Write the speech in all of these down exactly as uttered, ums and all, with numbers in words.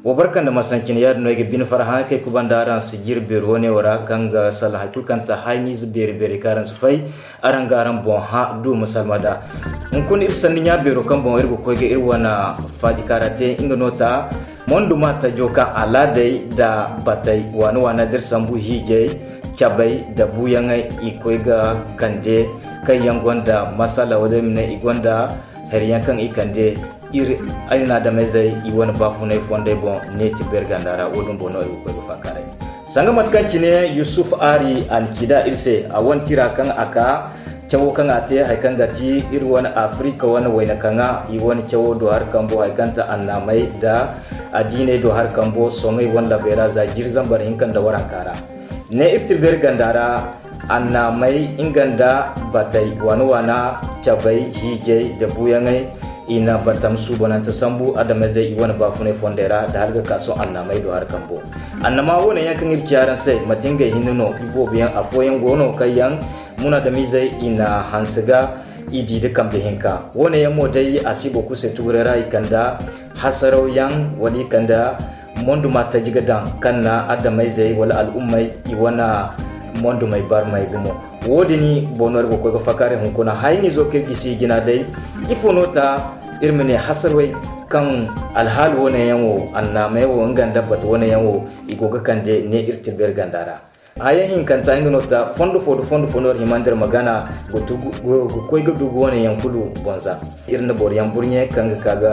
Wa barka nda masancin, yaadin no ay ga bine farhã kaŋ ay kubanda araŋ sijir beeri wane wo ra, kaŋ ga salaŋ hari kulu kaŋ ta hayniize beeri-beeri kaŋ araŋ si fay, araŋ ga araŋ boŋ hã du ma salma nd'a. Hunkuna iri sanni ɲa beero kaŋ boŋ iri ga koy ga iri wane faajikaara te, nga no ta monduma tajo kaŋ alaaday nda batay, waana-waana da iri sambu hiijay, cabay nda buuyaŋey i koy ga kande, kaŋ yaŋ gonda masala wala iri ma ne i gonda hari yaŋ kaŋ i kande iri, ay na adamayzey i wane baafunay fondey boŋ ne ti beeri ganda ra, wo-din boŋ no ay ga koy ga faakaaray. Sanga mate kaŋ cine Yusuf Ari a na ci da iri se, a wane tira kaŋ a ka cawo kaŋ a te, hari kaŋ ga ti iri wane Afirika wane wayna kaŋa, i wane cawo do hari kambo, hari kaŋ ta annaamey nda addiiney do hari kambo, soŋay wane labey ra za jiiri zambar hinka nda waranka ra. Ne iri ti beeri ganda ra, annaamey nga nda batey, waana-waana, cabey, hiijay nda buuyaŋey, i na batam suubanante sambu adamayzey i wane baafunay fondey ra nda hala ga ka sohõ annaamey do hari kambo. Annama wane yaŋ kaŋ iri ci araŋ se, manti ngey hinne no, iboobo yaŋ afooyaŋ go no kaŋ yaŋ munaadamizey i na hanse ga i di nda kambe hinka. Wane yaŋ mo day a si boro kulu se tuguray ra i kanda hasaraw yaŋ wala i kanda monduma taji ga daŋ kaŋ na adamayzey wala al'ummey i wane mondumey barmey gumo. Wo-din boŋ no iri ga koy ga faakaaray hunkuna hayniizo kaŋ iri gisi i jina day. Ifo no ta iri ma ne hasarwey kaŋ alhaali wane yaŋ wo, annaamey wo nga nda batu wane yaŋ wo, i go ga kande ne iri ti beeri ganda ra. Haya hinkanta nga no ta fondo fo da fondo fo no iri hima nda iri ma gana ga koy ga dugu wane yaŋ kulu bonza. Iri na boro yaŋ burɲe kaŋ ga ka ga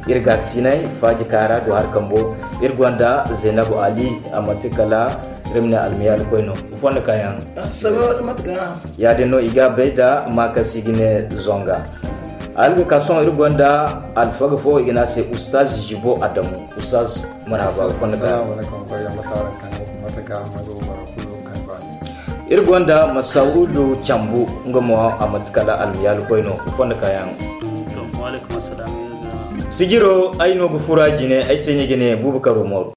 iri gaakasinay faaji kaara do hari kambo. Iri gonda Zainabu Ali, a manti kala iri ma ne almiyaali koy no. Fondo kaayaŋ. Yaadin no i ga bay da ma kaŋ si ga ne zonga. Alga ka sohõ iri gonda alfaga fo i ga ne a se Ustaz Jibo Adamu. Ustaz, marhaba ga fondo kaayaŋ. Iri gonda Masaudu Cambu, nga mo a manti kala almiyaali koy no, fondo kaayaŋ. Sijiro ay no ga fura jine, ay se ni ga ne Bubakar Umaru.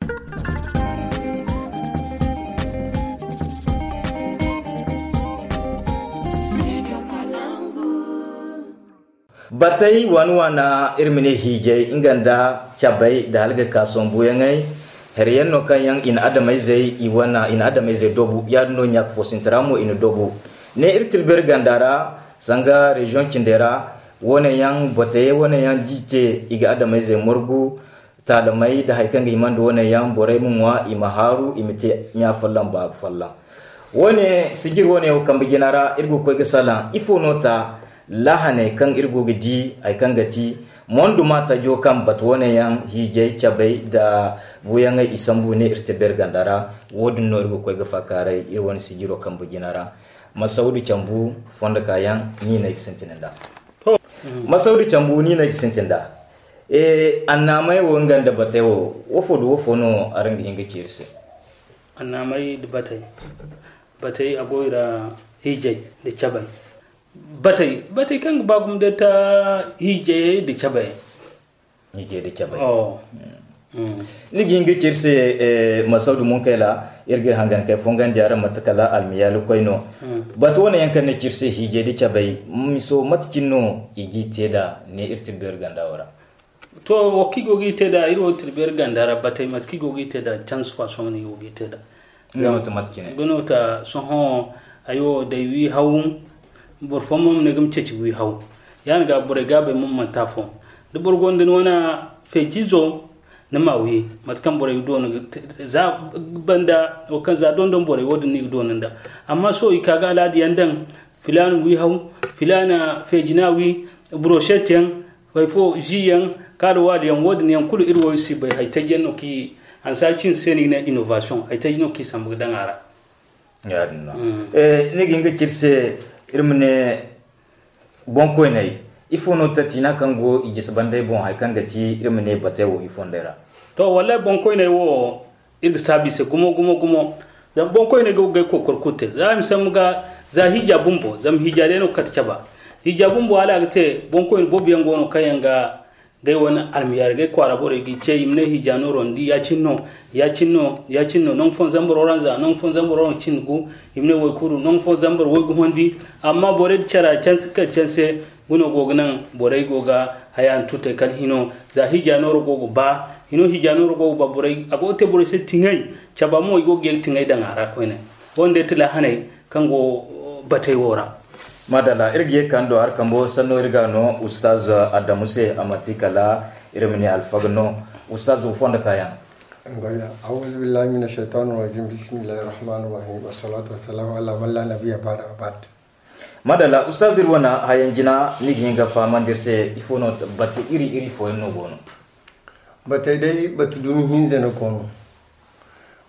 Batey waana-waana, iri ma ne hiijay nga nda cabay nda hala ga ka sombuyaŋey. Hari yaŋ no kaŋ yaŋ i na adamayzey i wane i na adamayzey dobu, yaadin no ɲaaka fo sinti ra mo i na dobu. Ne iri tilberi ganda ra, sanga reziyoŋ cindey ra, wane yaŋ batey wane yaŋ d'i te, i ga adamayzey margu. Taalamey nda hari kaŋ ga hima nda wane yaŋ borey ma ŋwa i ma haaru i ma te ɲa folloŋ baabu folloŋ. Wane sijir wane wo kambe jina ra iri ga koy ga salaŋ ifo no ta laahaney kaŋ iri go ga di hari kaŋ ga ti monduma tajo kaŋ batu wane yaŋ hiijay cabay nda buuyaŋey i sambu ne iri te beeri ganda ra. Wo-din no iri ga koy ga faakaaray iri wane sijiro kambe jina ra. Masaudu cambu fondo kaayaŋ ni no ay ga sintin nd'a. Masaudu cambu ni no ay ga sintin nd'a. Annaamey wo nga nda batey wo, woofo nda woofo no araŋ ga hin ga ci iri se? Annaamey nda batey. Batey a go i ra hiijay nda cabay. Batey batey kaŋ ga ba gumo day ta hiijay nda cabay. Hiijay nda cabay. Ni ga hin ga ci iri se? Masaudu munkayla iri ga iri hangan kay fongandi araŋ mate kala almiyaali koy no. Batu wane yaŋ kaŋ ni ci iri se hiijay nda cabay, miso mate cine no i g'i te nd'a ne iri tilbeeri ganda wo ra? To, wo kaŋ i go ga i te nd'a iri wo tilbeeri ganda ra batey mate kaŋ i go ga i te nd'a canse faasoŋ no i go ga i te nd'a. Nga no ta sohõ. Ay wo day wi haw. Boro fooyaŋ mo ma ne ga ma ceeci wi haw. Yaadin ga borey ga bay mo manti afo. Da boro gonda ni wane feejiizo ni ma wi mate kaŋ borey ga doona. Za banda wo kaŋ za dondon borey wo- din no i ga doona nd'a. Amma sohõ i ka ga alaada yaŋ daŋ. Filaana wi haw, filaana feejina wi, broset yaŋ, hari fo zi yaŋ, kaala waali yaŋ wo- din yaŋ kulu iri wo iri si bay hari taji yaŋ no kaŋ i hanse hari cindi se no i ga ne innovation hari taji no kaŋ i sambu ga daŋ a ra. Ni ga hin ga ci iri se iri ma ne boŋkoyney ifo no tatiina kaŋ go i jisi bandey boŋ hari kaŋ ga ti iri ma ne batey wo i fondey ra? To wallahi boŋkoyney wo iri ga saabu i se gumo gumo gumo. Zama boŋkoyney go ga ay kookoro kulu te za i ma sambu ga za hiija bumbo zama hiija day no ga kate caba. Hiija bumbo hala a ga te boŋkoyne boobo yaŋ go no kaŋ yaŋ ga gay wane almiyaari gay kwaara borey g'i ce i ma ne hiija nooro ni di ya- cine no ya- cine no ya- cine no nangu fooyaŋ zambaro ra nza nangu fooyaŋ zambaro ra cindi gu. I ma ne way kulu nangu fooyaŋ zambar way gu hondi. Amma borey da cara canse kala canse guno go ga naŋ borey go ga haya nda tutey kala hino za hiija nooro go ga ba. I no hiija nooro go ga ba borey, a go ga te borey se tiŋay, caba mo i go ga ye ga tiŋay daŋ a ra koyne. Wo-din day ti laahaney kaŋ go batey wo ra. Madalla, iri ga ye ga kande do hari kambo sanno iri ga no Ustaz Adamu se, a manti kala iri ma ne alfaga no. Ustaz, wo fondo kaayaŋ. Ngoya, auzu billahi mina shaytani rajim, bismillahi rahmani rahim, wassalatu wassalamu ala man la nabiyya ba'da, wa ba'd. Madalla, Ustaz, iri wane hayaŋ jina, ni ga hin ga fahamandi iri se, ifo no bate iri iri fooyaŋ no go no? Batey day, batu dumi hinza no go no.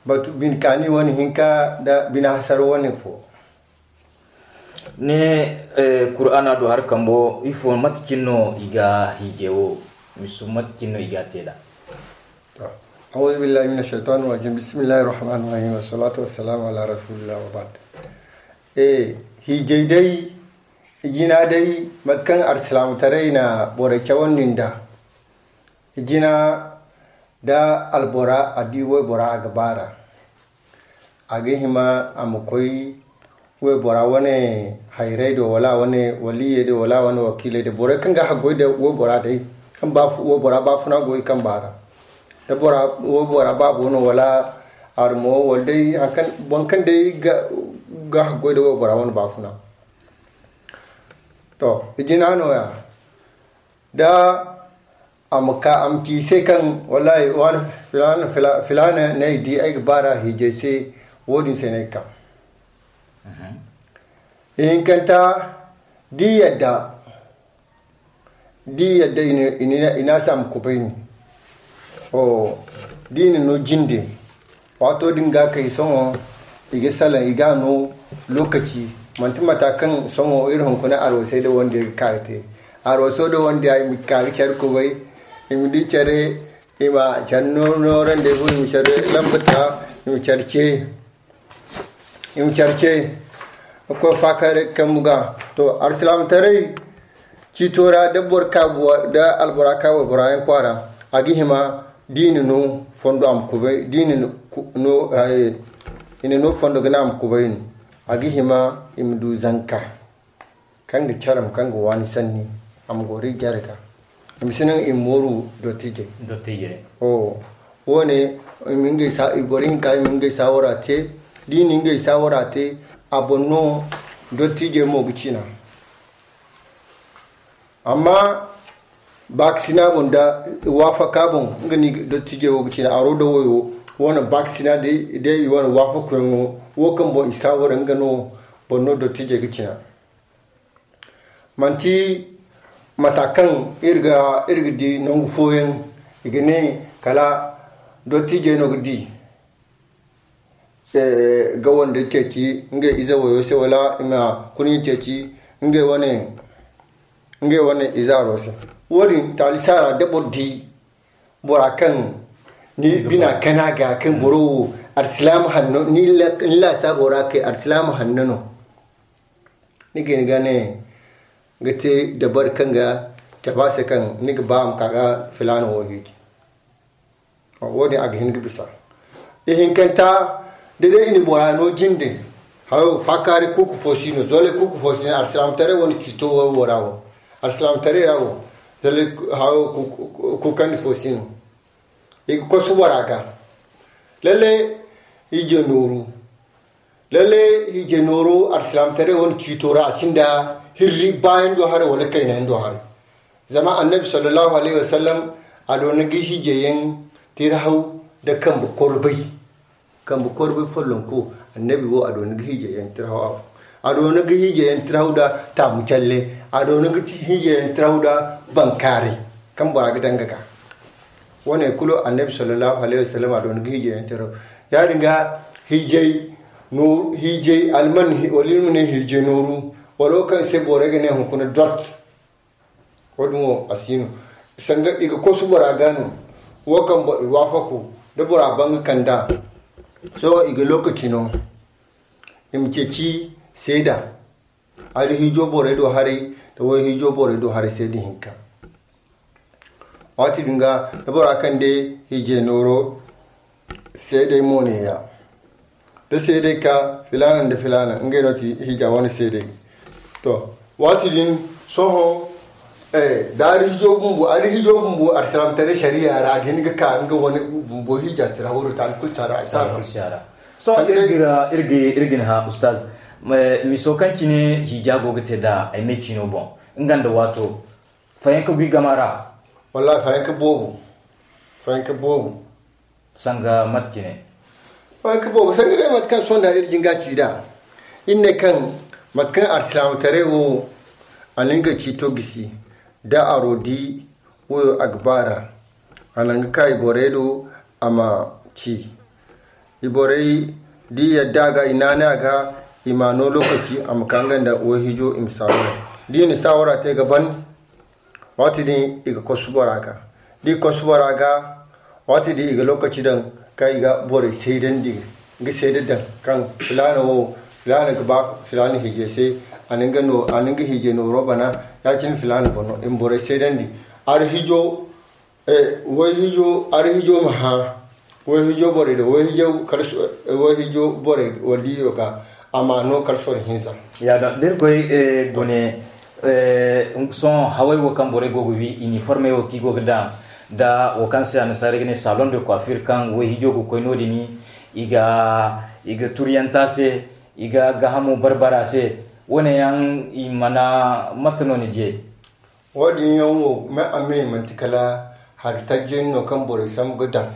Batu bine kaani wane hinka nda bine hasara wane fo. Ni, eh, Kur'aana do hari kambo, ifo, mate cine no i ga hiijay wo, miso, mate cine no i ga a te nd'a? To, auzu billahi mina shaytani rajim, bismillahi rahmani rahim, wassalatu wassalamu ala rasulillah, wa ba'd. Eh, hiijay day, jina day, mate kaŋ alsilaamataray na borey cawandi nd'a. Jina da albora, a di waybora a ga baar'a. A ga hima a ma koy waybora wane hayrey do, wala a wane waliyey do, wala a wane wakiiley do. Borey kaŋ ga haggoy da waybora day, kaŋ ba fu-, waybora baafuna go i kamba ra. Da bora, waybora baabo no, wala armo, wala day haŋ kaŋ, boro kaŋ day ga, ga haggoy da waybora wane baafuna. To, i jina nooya. Da a ma ka, a ma ci i se kaŋ, wallahi, wani filaana, fila-, filaana no ay di, ay ga baar'a hiijay se, wo-din se no ay ga ka. Mhm. Ihinkanta, da i yadda, da i yadda, i na, i na, i na a se a ma kubay ni. O, da i na no jinde, waato din ga kay, sohõ i ga salaŋ, i ga no lokaci, manti mata kaŋ sohõ iri hunkuna arwasey da wandiyey ga ka ga te. Arwaso da wandiya, i ma ka ga care kubay, i ma di care, i ma care no-, noorandey fo, i ma care lambata, i ma care ce, i ma care ce. Koy faakaaray ga kambu ga. To, alsilaamataray ciito ra, da boro ka buwa, da albora ka waybora yaŋ kwaara, a ga hima, da i na no fondo a ma kubay, da i na no ku-, no, ay, i na no fondo ga naŋ a ma kubay no. A ga hima i ma du zanka kaŋ ga care, kaŋ ga waani sanni, a ma goro i jare ga. I ma si naŋ i ma mooru dottijey. Dottijey. O, wo-ne, i ma ngey sa-, i boro hinka, i ma ngey saawara te. Da i na ngey saawara te, a boŋ no dottijey mo ga cina. Amma baakasina boŋ da waafaka boŋ, nga no dottijey wo ga cina, aro da wayo, wo-ne baakasina day, day i wane waafakuyaŋo, wo kaŋ boŋ i saawara, nga no boŋ no dottijey ga cina. Manti mata kaŋ iri ga, iri ga di nangu fooyaŋ, i ga ne kala dottijey no ga di, eh, ga wande ceeci ngey ize wayo se, wala i ma kurɲe ceeci ngey wane, ngey wane izaaro se. Wo-din taali saara da boro di bora kaŋ ni bina kana ga kaŋ boro wo alsilaama hanno, ni la-, ni laasaabo ra kay alsilaama hanno no. Ni ga hin ga ne, ga te dabari kaŋ ga cabe a se kaŋ ni ga ba a ma ka ga filaana wo hiiji. Wo-din a ga hin ga bisa. Ihinkanta, da day i na bora no jinde, hayo faakaari kuuku fo si no, zolay kuuku fo si no, alsilaamataray wane ciito wo ra wo. Alsilaamataray ra wo, zolay ku-, hayo ku-, ku-, kuukandi fo si no. I ga kosu bora ga. Lalle, hiije nooru. Lalle, hiije nooru alsilaamataray wane ciito ra, a sinda hirri baayaŋ do haray wala kaynayaŋ do haray. Zama Annabi sallallahu alayhi wa sallam, a doona ga hiijeyaŋ tirhaw da kambe korbay. Kambe korbay follonko, Annabi wo, a doona ga hiijeyaŋ tirhaw afo. A doona ga hiijeyaŋ tirhaw da taamu calle. A doona ga ti hiijeyaŋ tirhaw da bankaaray kaŋ bora ga daŋ ga ka. Wo-ne kulu Annabi sallallahu alayhi wa sallam a doona ga hiijeyaŋ tirhaw. Ya-din ga hiijay no, hiijay alman hi-, wala iri ma ne hiijay nooru, wala wo kaŋ se borey ga ne hunkuna dot. Wo-din wo a si no. Sanga i ga kosu bora ga no. Wo kaŋ bo-, i waafaku, da bora ban ga kand'a. Sohõ i ga lokaci no. I ma ceeci seeda. Hari hiijo borey do haray, da way hiijo borey do haray seeda hinka. Waati din ga, da bora kande hiijay nooro, seedey mo neeya. Da seedey ka filaana nda filaana, ngey no ti hiija wane seedey. To, waati din, sohõ, Da ari hijo bumbo, ari hijo bumbo, alsilaamataray sariya ra a ga hin ga ka nga wane bumbo hija tira horo ta alkul sara. Sara. Sohõ iri ga iri ga ni hã ustaz, miso kaŋ cine hija go ga te da ay me ciino boŋ, nga nda waato fayanka go i gama ra. Wallahi fayanka boobo. Fayanka boobo. Sanga mate cine? Fayanka boobo sanga day mate kaŋ sohõ da iri jinga ci da iri ne kaŋ mate kaŋ alsilaamataray wo a na nga ciito gisi da aro di wayo a ga baara. A na nga ka i borey do a ma ci. I borey da i yadda a ga i naanay a ga, i ma no lokaci a ma ka nga nda wayhijo i ma saawara. Da i na saawara te ga ban, waati din i ga kosu bora ga. Da i kosu bora ga, waati din i ga lokaci daŋ kaŋ i ga borey saydandi, ga sayda daŋ kaŋ filaana wo, filaana ga ba filaana hiijay se. A na nga hiijay nooro bana. Ya- cine filaana boŋ no i ma borey saydandi. Hari hiijo, wayhiijo hari hiijo ma hã wayhiijo borey do wayhiijo borey wala diyo ga a ma no kala soro hinza. Ya da da iri koy gune. Sohõ haway wo kaŋ borey go ga wi iniformey wo kaŋ i go ga daŋ da wo kaŋ se annasaara ga ne salon de coiffure kaŋ wayhiijo ga koy no- din i ga i ga turiyanta se, i ga gaahamo barbara se. Wo- ne yaŋ i mana mate no ni di ey? Wo- din yaŋ wo me a me manti kala hari tajjey no kaŋ borey sambu ga daŋ.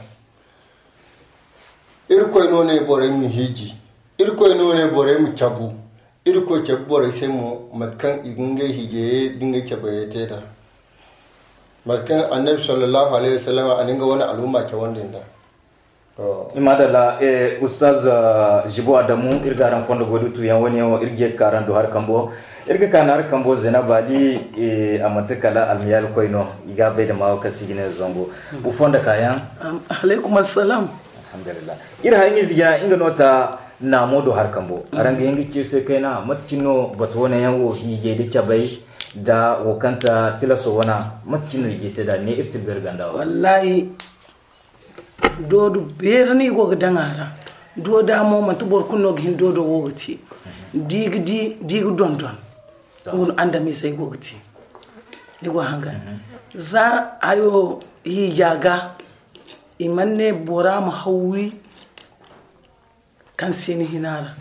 Irkoy no ne borey ma hiiji. Irkoy no ne borey ma cabu. Irkoy cabe borey se mo mate kaŋ i ga ngey hiijayey da ngey cabayey te nd'a. Mate kaŋ annabi sallallahu alayhi wasallam a na nga wane al'umma cawandi nd'a. Madalla. Ustaz Jibo Adamu, iri ga araŋ fondo goy da tuyaŋ wane yaŋ wo iri ga ye ga ka araŋ do hari kambo. Iri ga ka na hari kambo Zainab Ali. A manti kala almiyaali koy no. I ga a bay da maawo kaŋ se i ga ne zango. Iri hayniize jina nga no ta naamo do hari kambo. Araŋ ga hin ga ci iri se kayna mate cine no batu wane yaŋ wo hiijay da cabay da wo kaŋ ta tilaso wana mate cine no i ga te nd'a ne iri tilberi ganda wo. Wallaahi, doodo beeri no i go ga daŋ a ra. Dooda mo manti boro kulu no ga hin doodo wo ga te. Da i ga di da i ga dondon. Nga no andamiizey go ga te. Ni go hangan za hayo hiija ga. I mana ne bora ma hawwi kaŋ se ni hina ra.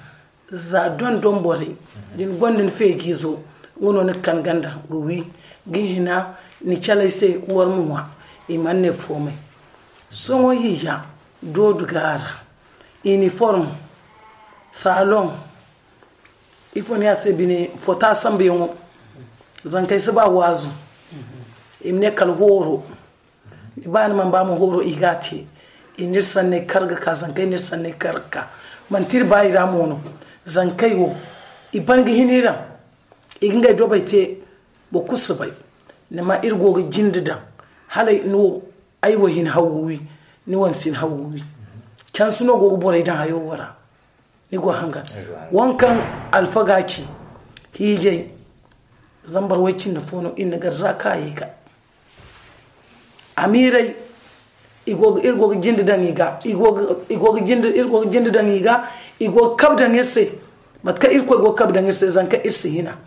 Za dondon borey da ni gonda ni feejiizo, nga no ni ga kan ganda ga wi ga hina ni caley se war ma ŋwa. I mana ne foomay. Sohõ hiija doodu ga a ra. Iniform, saloŋ, ifo ni a se bine fota sambuyaŋo. Zankey si ba waazu. I ma ne kala hooro. Ni ba ni mana ba mo hooro i ga a te. I n'iri sanney kar ga ka zankey n'iri sanney kar ga ka. Manti iri ba i ra mo no. Zankey wo i ban ga hin iri ra. I ga ngey dobey te. Boro kulu si bay. Ni ma iri go ga jinde daŋ hala ay wo ay wo hin hawwi. Ni wane si ni hawwi. Cansi no go ga borey daŋ hayo wo ra. Ni go hangan. Wankaŋ alfaga ci hiijay zambar way cindi fo no iri na gar za kaayey ga. Amiirey iri go ga jinde daŋ i ga. Iri go ga jinde daŋ i ga. I go ga kabe daŋ iri se. Mate kaŋ irkoy go ga kabe daŋ iri se zanka iri si hina.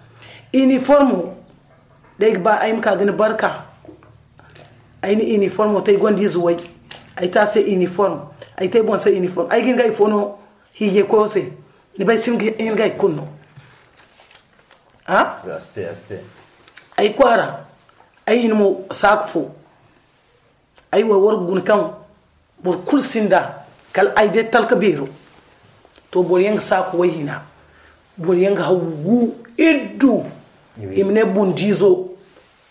Iniformo da ay ga ba ay ma ka ga ni barka. Ay na iniformo te ay gonda ize way. Ay te a se iniform. Ay te ay boŋ se iniform ay ga hin ga ay fo no. Hiijay koyo se ni bay si hin ga ay kulu no. Ay kwaara ay hin mo saaku fo. Ay wo war ga guna kaŋ boro kulu sinda kala ay day talka beero. To boro yaŋ ga saaku way hina. Boro yaŋ ga haw wu iddu. I ma ne bundiizo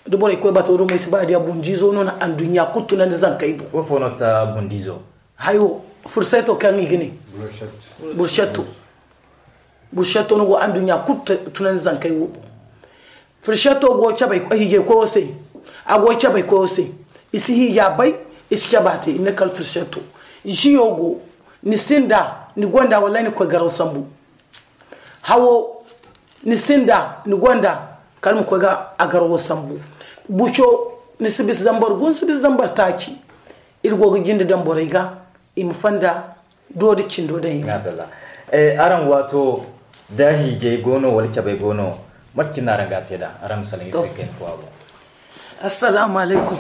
da borey koy bato do mo ay si ba diya bundiizo no na anduɲɲa kulu tunandi zankey boŋ. Wo fo no ta bundiizo? Hayo furseto kaŋ i ga ne bursetto. Bursetto no go anduɲɲa kulu tunandi zankey wo boŋ. Firseto go cabay hiijay koyo se. A go cabay koyo se. I si hiija bay. I si caba te i ma ne kala firseto. Ziyo go ni sinda ni gonda wallay ni koy garaw sambu. Hawo ni sinda ni gonda kala ma koy ga a garawo sambu. Buco ni si bisa zambar gu ni si bisa zambar taaci. Iri go ga jinde daŋ borey ga i ma fanda. Doodi cindo daŋ i ga. Araŋ waato da hiijay go no wala cabay go no? Mate cine no araŋ ga a te nd'a araŋ ma salaŋ iri se kayna fo a boŋ. Assalamu alaikum.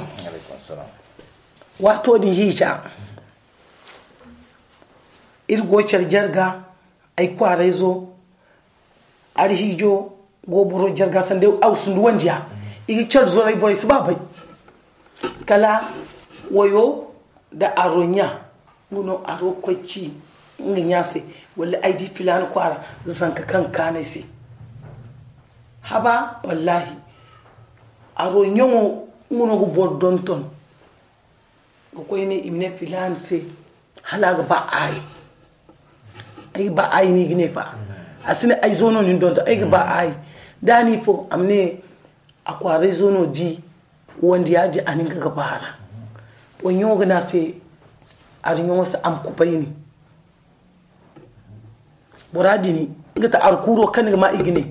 Waato din hiija, iri go care jarga, ay kwaarayzo, ari hiijo go boro jarga sanda aw sundu wandiya. I ga care zoray, borey si ba bay. Kala wayo da aro ɲa, nga no aro koy ci nga ɲa se, wala ay di filaana kwaara zanka kaŋ kaanay se. Haba, wallahi, aro ɲaŋo, nga no ga boro donton. Ga koy ne i ma ne filaana se, hala a ga ba aayi. Ay ga ba aayi no i ga ne fa. A si ne ay zo no ni donton, ay ga ba aayi. Da ni fo a ma ne a kwaaray zo no di, wanda ya di a nin ga ga baara. Wai ɲaŋo ga ne a se, ari ɲaŋo se a ma kubay ni. Bora din, nga ta arkuuro kaŋ ni ga ma i ga ne.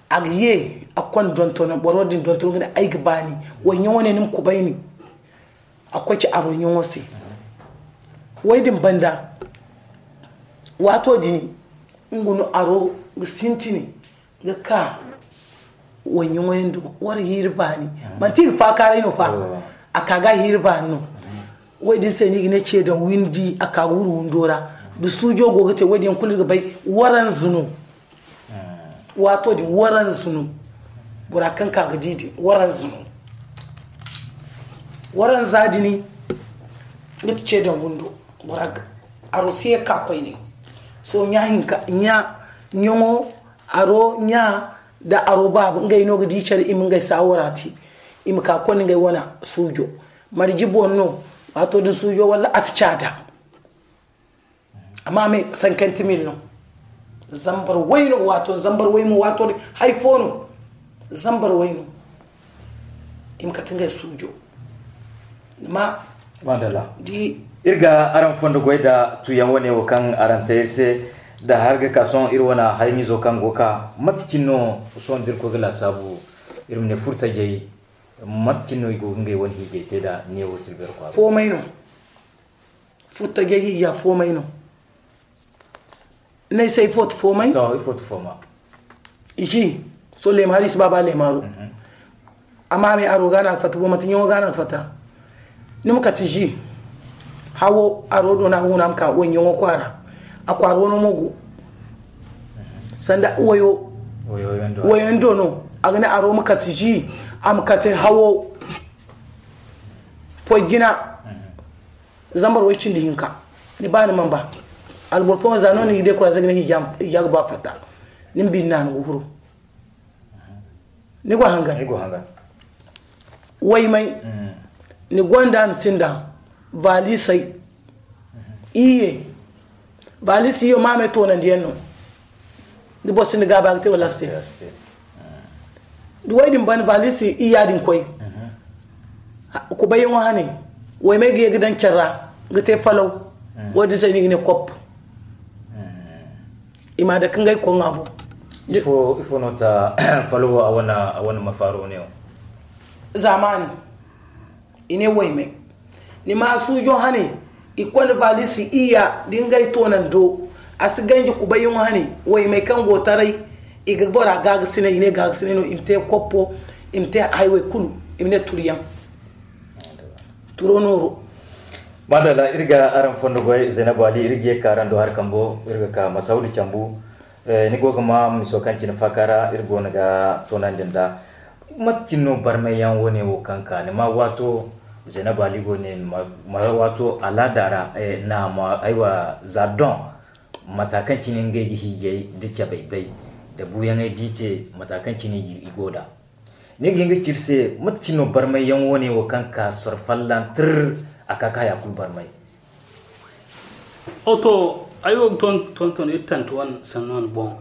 A ga ye a konda dontono, boro din dontono ga ne ay ga ba ni. Wai ɲaŋo ne ni ma kubay ni. A koy ci aro ɲaŋo se. Wai din banda, waato din, nga no aro ga sintini ga ka wai ɲaŋo yaŋ do, war hiiri baani. Manti i ga faakaaray no fa. A ka ga hiiri baani no. Wai din se no i ga ne ce daŋ windi, a ka ga wuru windo ra. Da suujo go ga te, wai din yaŋ kulu ga bay waranzu no. Waato din waranzu no. Bora kaŋ ka ga di din waranzu no. Waranza din, nga ti ce daŋ windo. Bora ga aro si ye ka koyne. So ɲa hinka, ɲa ɲaŋo, aro ɲa da aro baaba, ngey no ga di care, i ma ngey saawara te. I ma ka konda ngey wana suujo. Marji boŋ no, waato din suujo walla a si caada. Amma me cinquante mille no. Zambar way no, waato zambar way mo, waato din hay fo no. Zambar way no. I ma kate ngey suujo. Ni ma Madalla. Di iri ga araŋ fondo goy da tuyaŋ wane wo kaŋ araŋ te iri se, da har ga ka sohõ iri wane haynizo kaŋ go ka, mate cine no sohõ da iri koy ga laasaabu, iri ma ne furtajey, mate cine no i go ga ngey wane hiijay te da neewo tilbero kwaara? Foomay no. Furtajey hiija foomay no. N'ay se ifo ti foomay? To, ifo ti fooma? Ji, sohõ leema hari si ba, ba leema haro. Amma me aro ga no a ga fatta, bo manti ɲaŋo ga no a ga fatta. Ni ma kate ji, hawo aro do no a ga huna a ma ka wai ɲaŋo kwaara. A kwaara wano mo go. Sanda wayo, wayo yaŋ do no. A ga ne aro ma kate ji, a ma kate hawo foy jina. Zambar way cindi hinka. Ni ba ni man ba. Alboro fo za no ni ga de kura za ga ne hija ga ba fatta. Ni ma bi ni na ni ga huru. Ni go hangan. Waymay. Ni gonda ni sinda valisay. Iye. Valisay yo maamay toonandiyaŋ no. Ni boro sinda gaaba ga te wala a si te? Da way din ban valisi i yaadin koy. Kubayyaŋo hane, waymey ga ye ga daŋ care ra ga te falaw. Wo-din se no i ga ne kop. I ma dake ngey koŋa boŋ. Ifo no ta falawo a wane mafaaro ne wo? Zamani. I ne waymey. Ni ma suujo hane, i konda valisi iyya da ngey toonando. A si ganji kubayyaŋo hane, waymey kaŋ go taray, i ga bora gaagasinay, i ne gaagasinay no, i ma te koppo, i ma te haywey kulu, i ma ne turyaŋ. Turo nooro. Madalla, iri ga araŋ fondo goy, Zainabu Ali, iri ga ye ka araŋ do hari kambo, iri ga ka Masawdu Cambu. Ni go ga ma miso kaŋ cine faaka ra iri goono ga toonandi nd'a. Mate cine no barmayyaŋ wane wo kaŋ ka ni ma waato Zainabu Ali go ne ma waato alaada ra, naama aywa za doŋ, mata kaŋ cine ngey ga hiijay da cabay bay da buuyaŋey d'i te, mata kaŋ cine i go nd'a? Ni ga hin ga ci iri se mate cine no barmayyaŋ wane wo kaŋ ka soro fallantir a ka ka haya kulu barmay? Oto, ay wo ga tonton iri tanti wane sanno wane boŋ.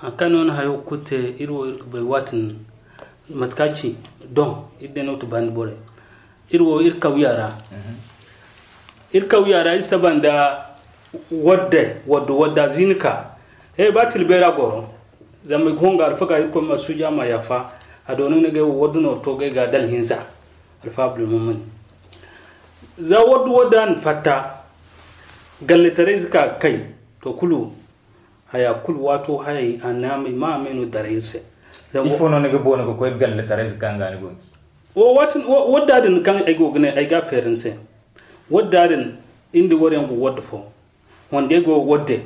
Haŋ kaŋ no ni hayo ga kulu te, iri wo iri ga bay waatin mate kaŋ a ci doŋ, iri day no ga ti bandi borey. Iri wo iri kawya ra. Iri kawya ra iri saba nda wadde wadde wadda zini ka. He ba tilbey ra goro. Zama i ga honga alfaga iri koy ma suuja ma yaafa. A doona ni ga ay wo wadde no to ga ay ga dala hinza. Alfa Abdulmumin. Za waddu wadda ni fatta, galletaray zika kay, to kulu haya kulu waato hayay a naamay ma me no daray se. Ifo no ni ga boona ga koy galletaray zika nga ni go? Wadda din kaŋ ay go ga ne ay ga a feeri ni se, wadda din, iri nda warayaŋ go wadda fo, wandey go wadde.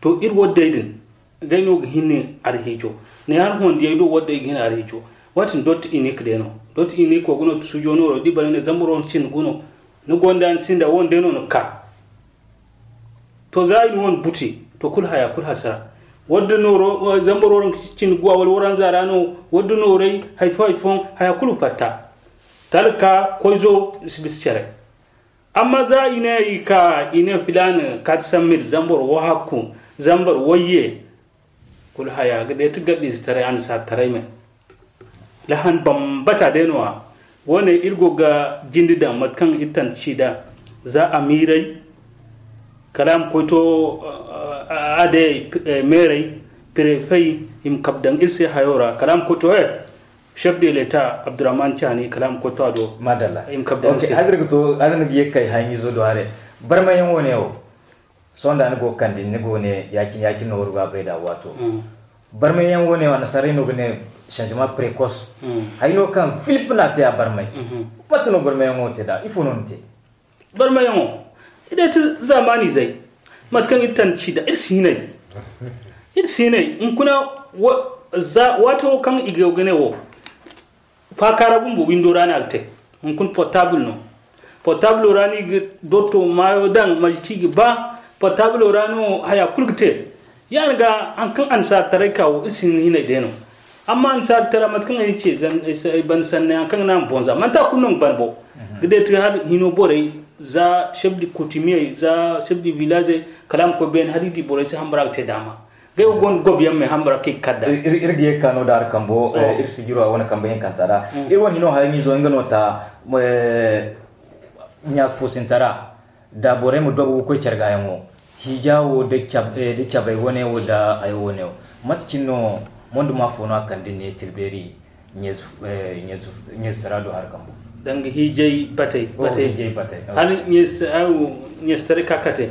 To, iri waddey din, ngey no ga hin arhiijo. Ne han wandiyey do waddey ga hin arhiijo. Waati din dotti inik day no. Dotti inik wo ga no sujo nooro di bare ne zambar wo cindi gu no. Ni gonda ni sinda wande no ni ka. To, za i na wane buti, to, kulu haya, kulu hasara. Wadda nooro, zambar waranka cindi guwa wala waranza ra no, wadda nooray, hay fo, hay fo, haya kulu fatta. Talka, koyzo, i si bisa care. Amma za i ne i ka, i ne filaana kaati sammir, zambar wahakku, zambar wayye, kulu haya ga day ti gaddiize taray, annasaara taray me. Lahan bambata day no-ya. Wo-ne iri go ga jinde daŋ mate kaŋ iri tanda ci nd'a. Za amiirey, kala a ma koy to, a day meerey, pirefey, i ma kabe daŋ iri se hayo ra. Kala a ma koy to, he, chef de l'État Abdurrahman Tchani, kala a ma koy to a do. Madalla. I ma kabe daŋ iri se. Hala iri ga to, hala ni ga ye ga kay hayaŋizo do haray. Barmayaŋ wo-ne wo. Sohõ da ni go ga kande, ni go ne, ya-cine, ya-cine no wara ga bay nd'a waato. Barmayyaŋ wo-ne, annasaarey no ga ne changement précoce. Hay no kaŋ Philippe n'a te a barmay. Mate no barmayyaŋo te nd'a? Ifo no ni te? Barmayyaŋo, i day ti zaamaanizey. Mate kaŋ iri tanda ci nd'a, iri si hinay. Iri si hinay. Hunkuna, waato kaŋ i go ga ne wo, faakaara bumbo windo ra no a ga te. Hunkuna portable no. Portable ra no i ga dotto maayo daŋ, maji kaŋ i ga ba. Portable ra no haya kulu ga te. Ya-din ga, haŋ kaŋ annasaara taray ka wo, iri si hin hinay day no. Amma annasaara tara, mate kaŋ ay ce, ay banda sanney, haŋ kaŋ ga naŋ a ma boŋ za. Manti a kulu no ga ban bo. Ga day ti hala hino borey, za chef de coutumier, za chef de village, kala a ma koy beene, hala i di borey se hambara ga te daama. Ngey wo gonda gobiyaŋ me hambara kaŋ i ga kar nd'a. Iri ga ye ga ka no da hari kambo, iri sijiro a wane kambe hinkanta ra. Iri wane hino hayaŋizo nga no ta, ɲaaka foosintara, da borey ma dogo ga koy care gaayaŋo. Hiija wo da cabay wane wo da hayo wane wo. Mate cine no, mondo ma fo no a kande ne tilbeeri? Ɲeezi tara do hari kambo. Danga hiijay batey, batey. Hala ɲeezi taray ka kate.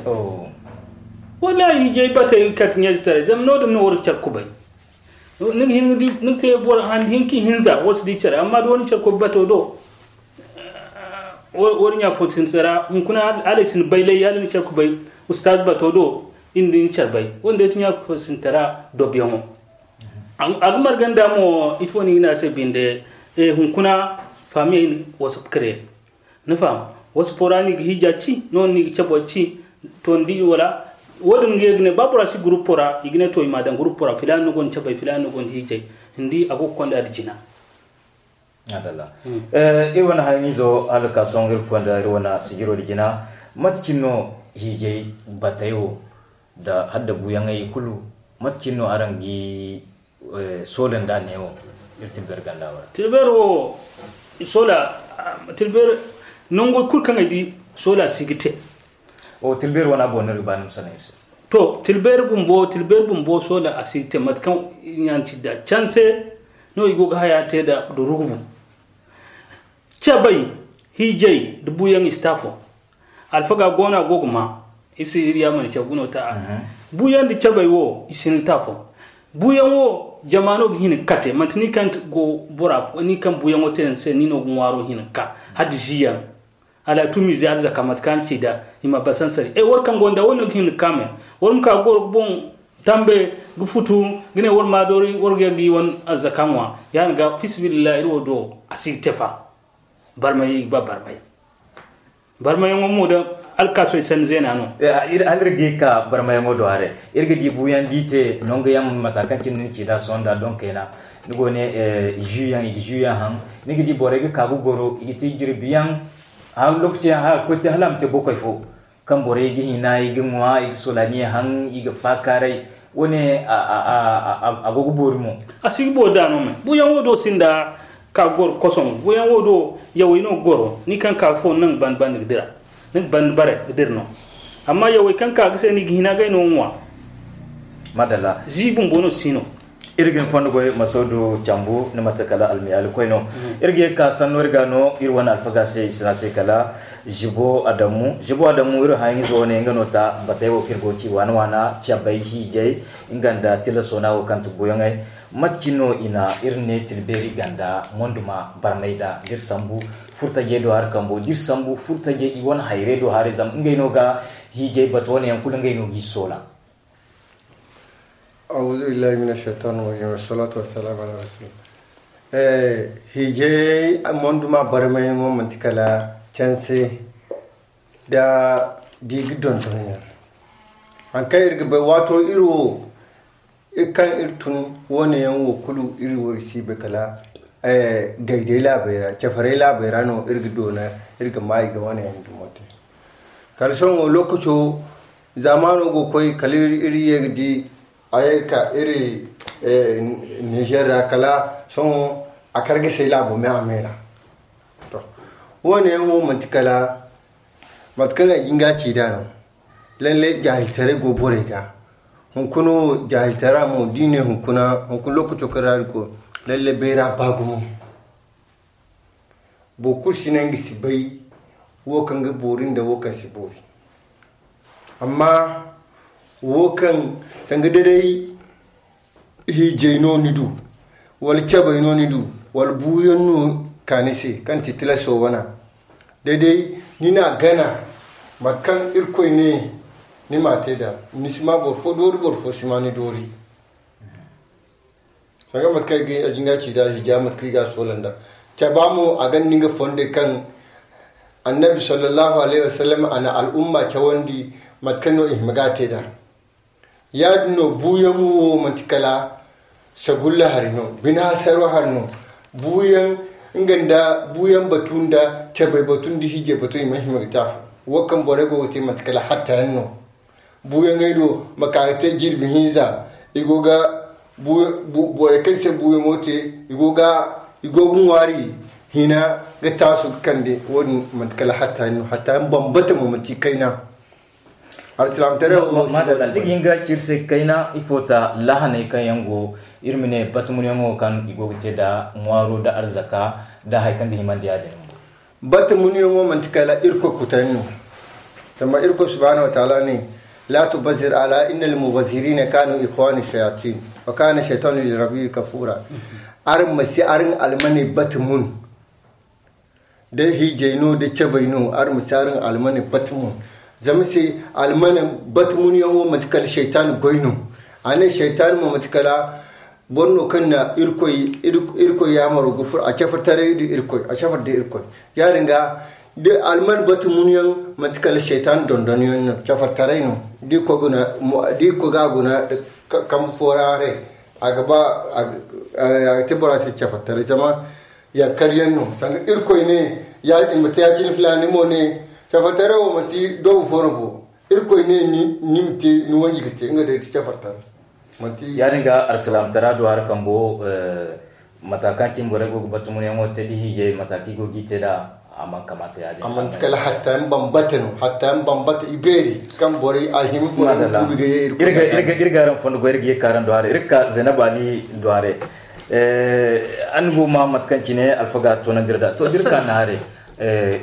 Wallaahi, hiijay batey kate ɲeezi taray, zama no-din no wara care kubay. Ni ga hin ga te boro handi hinka hinza wara si di care, amma da wara care kubay bato do, wara ɲaafo sinda tara hunkuna hala i si ni bay lay hala ni care kubay. Ustaaz bato do, iri nda ni care bay wanda ya ti ɲaafo sinda tara dobiyaŋo. A ga marganda mo ifo no i ga ne a se binde? Hunkuna faamiyey wasap kare. Ni faham? Wasapo ra no i ga hiija ci, no no i ga cabo ci. To ni di wala? Wo-din ga ye ga ne ba bora si gurupo ra i ga ne to i ma a daŋ gurupo ra filaana no gonda cabay filaana no gonda hiijay. Ni di a go ga konda da jina. Iri wane hayaŋizo hala ga ka sohõ iri ga konda iri wane sijiro da jina. Mate cine no hiijay batey wo da hala da buuyaŋey kulu? Mate cine no araŋ ga soola nda neewo iri tilbeeri ganda wo ra? Tilbeeri wo soola, tilbeeri nangu kulu kaŋ ay di soola si ga te. Tilbeeri wane a boŋ no iri ga ba ni ma sanay iri se. To, tilbeeri bumbo, tilbeeri bumbo soola a si ga te mate kaŋ i na ci nda canse no i go ga haya te nda rugubu. Cabay, hiijay nda buuyaŋ i si te afo. Alfaga go no a go ga ma. I si iri yaamar caw ga no ta a. Buuyaŋ nda cabay wo i si hin ta afo. Buuyaŋ wo jama no ga hin ga kate manti ni kaŋ go bora ni kaŋ buuyaŋo te ni se ni no ga ŋwaaro hin ga ka. Hala da ziyaŋ hala a tumi ze arzaka mate kaŋ a na ci nd'a i ma ba sansari e war kaŋ gonda wo no ga hin ga ka me. War ma ka ga goro ga boŋ tambe ga futu ga ne war ma doori war ga yagga i wane arzaka ŋwa. Ya-din ga fi sabilillahi iri wo do a si ga te fa. Barmay i ga ba barmay. Barmayaŋo mo da alkaasoy sanni zeena no. Hala iri ga ye ga ka barmayaŋo do haray iri ga di buuyaŋ da i te nangu yaŋ mata kaŋ cine ni ci nd'a sohõ nda doŋ kayna. Ni go ne zu yaŋ i ga zu yaŋ haŋ. Ni ga di borey ga ka ga goro i ga te jirbi yaŋ. Hala lookaci yaŋ hala a ga koy te hala a ma te bokoy fo kaŋ borey ga hina i ga ŋwa i ga solaniye haŋ i ga faakaaray. Wo-ne a go ga boori mo. A si ga boori da no me buuyaŋ wo do sinda ka goro kosoŋ buuyaŋ wo do yawey no ga goro ni kaŋ ka fo naŋ banda banda ga dira. Ni ga banda bare ga dira no. Amma yawey kaŋ ka ga se ni ga hina gay no ŋwa. Madalla zi bumbo no si no. Iri ga ni fondo goy masaudu cambu ni mate kala almiyaali koy no. Iri ga ye ga ka sanno iri ga no iri wane alfaga se i si ne a se kala zibo adamu zibo adamu iri hayaŋizo wane nga no ta batey wo kaŋ iri go ga ci waana waana cabay hiijay nga nda tilaso no wo kaŋ ti buuyaŋey. Mate cine no i na iri ne tilbeeri ganda monduma barmay da da iri sambu furtajey do hari kambo da iri sambu furtajey i wane hayrey do haray zama ngey no ga hiijay batu wane yaŋ kulu ngey no g'i soola. Auzu billahi mina shaitan rajim wassalatu wassalamu ala rasul. Eh, hiijay monduma barmay mo manti kala canse da digi donton yaŋ. Hankan iri ga bay wato iri wo iri kaŋ iri tun wane yaŋ wo kulu iri wo iri si bay kala gayday laabey ra cafaray laabey ra no iri ga doona iri ga ma i ga wane yaŋ dumo te. Kala sohõ lokaco zaamaano go koy kala iri ye ga di a ye ga ka iri niger ra kala sohõ a kar ga say laabo me a me ra. To, wane yaŋ wo manti kala mate kaŋ a jinga ci da no. Lalle jaahiltaray go borey ga. Hunkuna wo jaahiltara mo da i ne hunkuna hunkuna lokaco kaŋ ra iri go lalle bayra ba gumo. Boro kulu si ne nga si bay wo kaŋ ga boori nda wo kaŋ si boori. Amma wo kaŋ sanga da day hiijay no ni du wala cabay no ni du wala buuyaŋ no ka ni se kaŋ ti tilaso wana. Day-day ni n'a gana mate kaŋ irkoy ne ni m'a te nd'a. Ni si ma boro fo doori boro fo si ma ni doori. Sanga mate kaŋ a jinga ci nd'a hiija mate kaŋ i ga a soola nd'a. Caba mo a gonda nga fondey kaŋ annabi sallallahu alayhi wasallam a na al'umma cawandi mate kaŋ no i hima ga a te nd'a. Ya-din no buuyaŋ wo manti kala sagulla hari no bine hasaro hari no. Buuyaŋ nga nda buuyaŋ batu nda cabay batu nda hiijay batu i mana hima ga te afo. Wo kaŋ borey go ga te manti kala hatta yaŋ no. Buuyaŋey do ma ka ga te jirbi hinza i go ga borey kaŋ se buuyaŋo te i go ga i go ga ŋwaari hina ga taasu ga kande. Wo-din manti kala hatta yaŋ no hatta yaŋ bambata mo manti kayna. Alsilaamtaray wo madalla da ga hin ga ci iri se kayna ifo ta lahaney kaŋ yaŋ go iri ma ne batumunyaŋo kaŋ i go ga te nda ŋwaaro nda arzaka nda hari kaŋ ga himandi ya-din bumbo. Batumunyaŋo manti kala irkoy kutayaŋ no. Zama irkoy subhanahu wataala ne, la tubazzir ala inna almubazzirina kanu ikhwana shayatin wa kana shaytanu li rabbihi kafura. Araŋ ma si araŋ almaney batumun. Da hiijay no da cabay no araŋ ma si araŋ almane batumun. Zama se almane batumunyaŋo manti kala shaytan goy no. A ne shaytan mo manti kala boro no kaŋ na irkoy yaamaro ga furo a cafartaray da irkoy a cafar da irkoy. Ya-din ga da almane batumunyaŋ manti kala shaytan dondonyaŋ no cafartaray no. Da irkoy ga a guna kambe fo ra haray a ga ba a ga te bora se cafartaray zama yankar yaŋ no sanga irkoy ne ya i ma te ya-cine filaani mo ne cafartaray wo manti doobu fo no bo. Irkoy ne ni ma te ni wanji ga te nga day ti cafartaray. Manti ya-din ga alsilaamtara do hari kambo mata kaŋ cine borey go ga batumunyaŋo te da hiijay mata kaŋ i go ga i te nd'a. A mana kamata ya-din a manti kala hatta yaŋ bambata no hatta yaŋ bambata i beeri kaŋ borey a hima borey ma tuubi ga ye irkoy. Iri ga araŋ fondo goy iri ga ye ka araŋ do haray iri ga ka zaynab ali do haray. An go ma mate kaŋ cine alfaga toonandi iri da to da iri ka ne haray.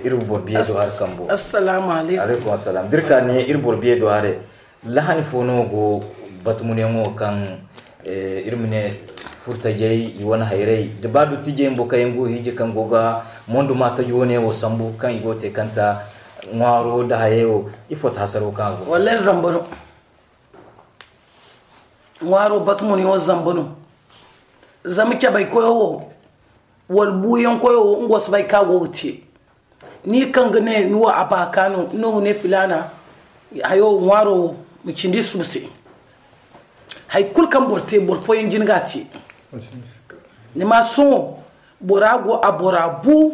Iri boro biye do hari kambo. Assalamu alaykum. Alaykum assalam da iri ka ne iri boro biye do haray. Lahani fo no go batumunyaŋo kaŋ iri ma ne furtajey i wane hayrey da ba dottijey bumbo kaŋ yaŋ go hiiji kaŋ go ga monduma taji wane wo sambu kaŋ i go ga te kanta ŋwaaro nda hayey wo. Ifo ti hasaro kaŋ a go wallahi zamba no. Ŋwaaro batumunyaŋo zamba no. Zama cabay koyo wo wala buuyaŋ koyo wo nga wo si bay kaŋ a go ga te. Ni kaŋ ga ne ni wo a baaka no no ga ne filaana hayo ŋwaaro wo ma cindi suba se. Hari kulu kaŋ boro te boro fooyaŋ jin ga a te. Ni ma sohõ bora go a bora bu.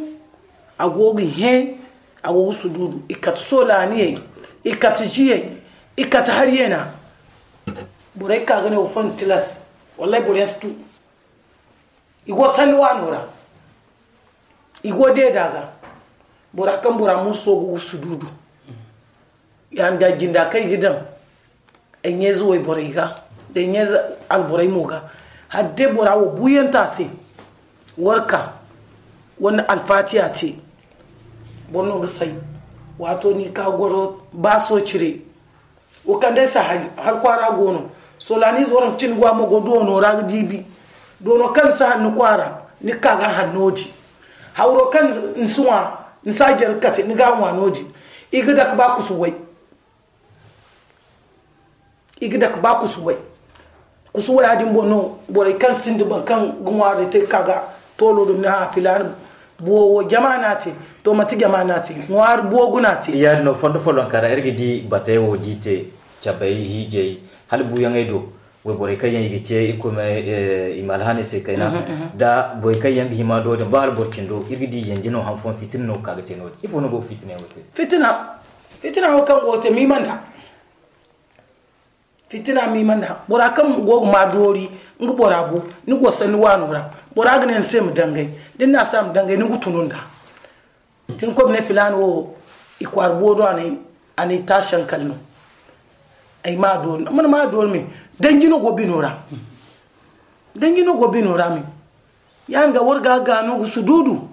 A go ga hẽ a go ga sududu i kate soolaaniyey i kate ziyey i kate hariyeena. Borey ka ga ne wo fo na tilas wallay boroyaŋ si tu. I go sanni waano ra. I go deeda ga bora kaŋ bora munso go ga sududu. Yaŋ da jinda kaŋ i ga daŋ ay ɲeeze wayborey ga da ay ɲeeze alborey mo ga. Hala day bora wo buuyanta se warka wala alfaatiya te. Boro no ga say waato ni ka goro baaso cire. Wo kaŋ day si hari har kwaara go no. Soolaniize waraŋ cin go a ma go doono ra ga diibi. Doono kaŋ ni si hanno kwaara, ni ga ka ga hanno di. Hawro kaŋ ni si ŋwa, ni si a jare kate, ni ga a ŋwa no-din. I ga dake ba kusu way. I ga dake ba kusu way. Kusu waya din boŋ no borey kaŋ sinda boro kaŋ ga ŋwaari te ga ka ga toolo dumi ne, hã, filaana buwo wo jama no a te. To, manti jama no a te, ŋwaari buwo guna a te. Yaadin no, fondo follonka ra iri ga di batey wo d'i te, cabey, hiijey, hala buuyaŋey do. Wayborey kaŋ yaŋ i ga ce Irkoy ma, eh, i ma alhaaney se kayna. Nda borey kaŋ yaŋ ga hima do din, ba hala boro cindo, iri ga di yanje no, han fooyaŋ fitina no ga ka ga te no-din. Ifo no go ga fitina yaŋ wo te? Fitina, fitina wo kaŋ go ga te, miima nda. Fitina miima nda. Bora kaŋ go ga ma doori, nga bora bu, ni go sanni waano ra. Bora ga ne ni se ma dangay. Da ni ne a se a ma dangay, ni ga tunu nda. Tin koy ma ne filaana wo, i kwaara buwo do a na ay, a na ay taasi hankali no. Ay ma a doori. Amma ni ma a doori me. Danji no go bino ra. Danji no go bino ra me. Yaadin ga war ga gaano ga sududu.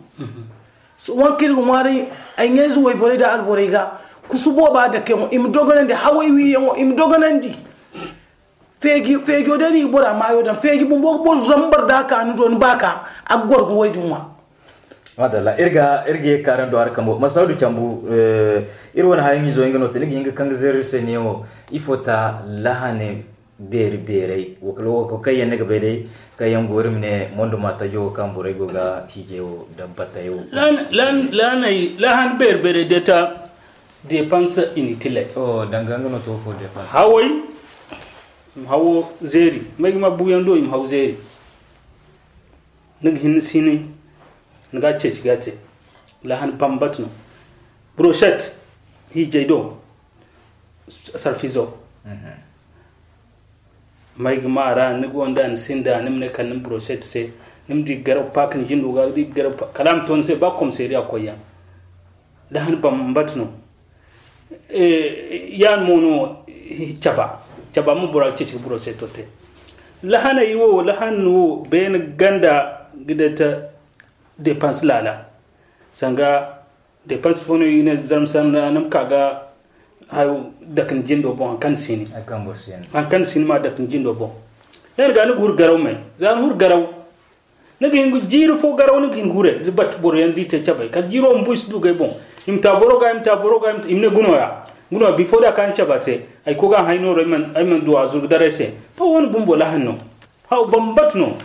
Sohõ kaŋ iri ga ŋwaaray, ay ɲayze wayborey nda alborey ga, kusu booba dake yaŋo, i ma dogonandi haway wi yaŋo, i ma dogonandi. Feeji, feejo day no i ga bora maayo daŋ. Feeji bumbo ga boro zambar da a ka ni do, ni ba ka, a ga goro ga way din ŋwa. Madalla, iri ga, iri ga ye kaarando hari kambo. Masaudu Cambu, eh, iri wane hayaŋ izo nga no te, ni ga hin ga kaŋ ga zeeri iri se neewo, ifo ta lahane beeri beerey, wo kala wo kaŋ yaŋ ni ga bay day, kaŋ yaŋ go iri ma ne mondo ma tajo wo kaŋ borey go ga hiijay wo da batay wo. Lahan, lahan, lahanay, lahan beeri beerey day ta dépense inutile. Oh, danga nga no to fo dépense. Haway, i ma hawo zeeri, may ga ma buuyaŋ do, i ma haw zeeri. Ni ga hin ni si ni, ni ga ceeci ga te. Lahan bambata no. Brochette, hiijay do, sarfizo. Mhm. May ga ma ra, ni gonda, ni sinda, ni ma ne kala ni ma brochette se. Ni ma di garaw paak ni jindo ga, di garaw pa-, kala a ma to ni se, ba komisariya koy yaŋ. Lahan bambata no. Eh, yaŋ mo no, eh, caba. Caba mo bora ga ceeci ga boro se to te. Lahanay wo, lahan wo, beene ganda ga day ta dépense laala. Sanga dépense fo no i ne zarma sanda ni ma ka ga hayo dake ni jindo boŋ, haŋ kaŋ ni si ni. Haŋ kaŋ boro si ni. Haŋ kaŋ ni si ni ma dake ni jindo boŋ. Yaŋ ga ni ga huru garaw me. Za ni huru garaw. Ni ga hin ga jiiri fo garaw, ni ga hin ga hure, da batu boro yaŋ da i te cabay. Kala jiiro bumbo i si du ga ay boŋ. I ma ta boro ga, i ma ta boro ga, i ma ta, i ma ne guno ya. Guno ya, bifo da ka ni caba te. Ay koy ga a hay nooro, ay mana, ay mana du a zuru daray se. To, wo-ne bumbo lahan no. Haw bambata no.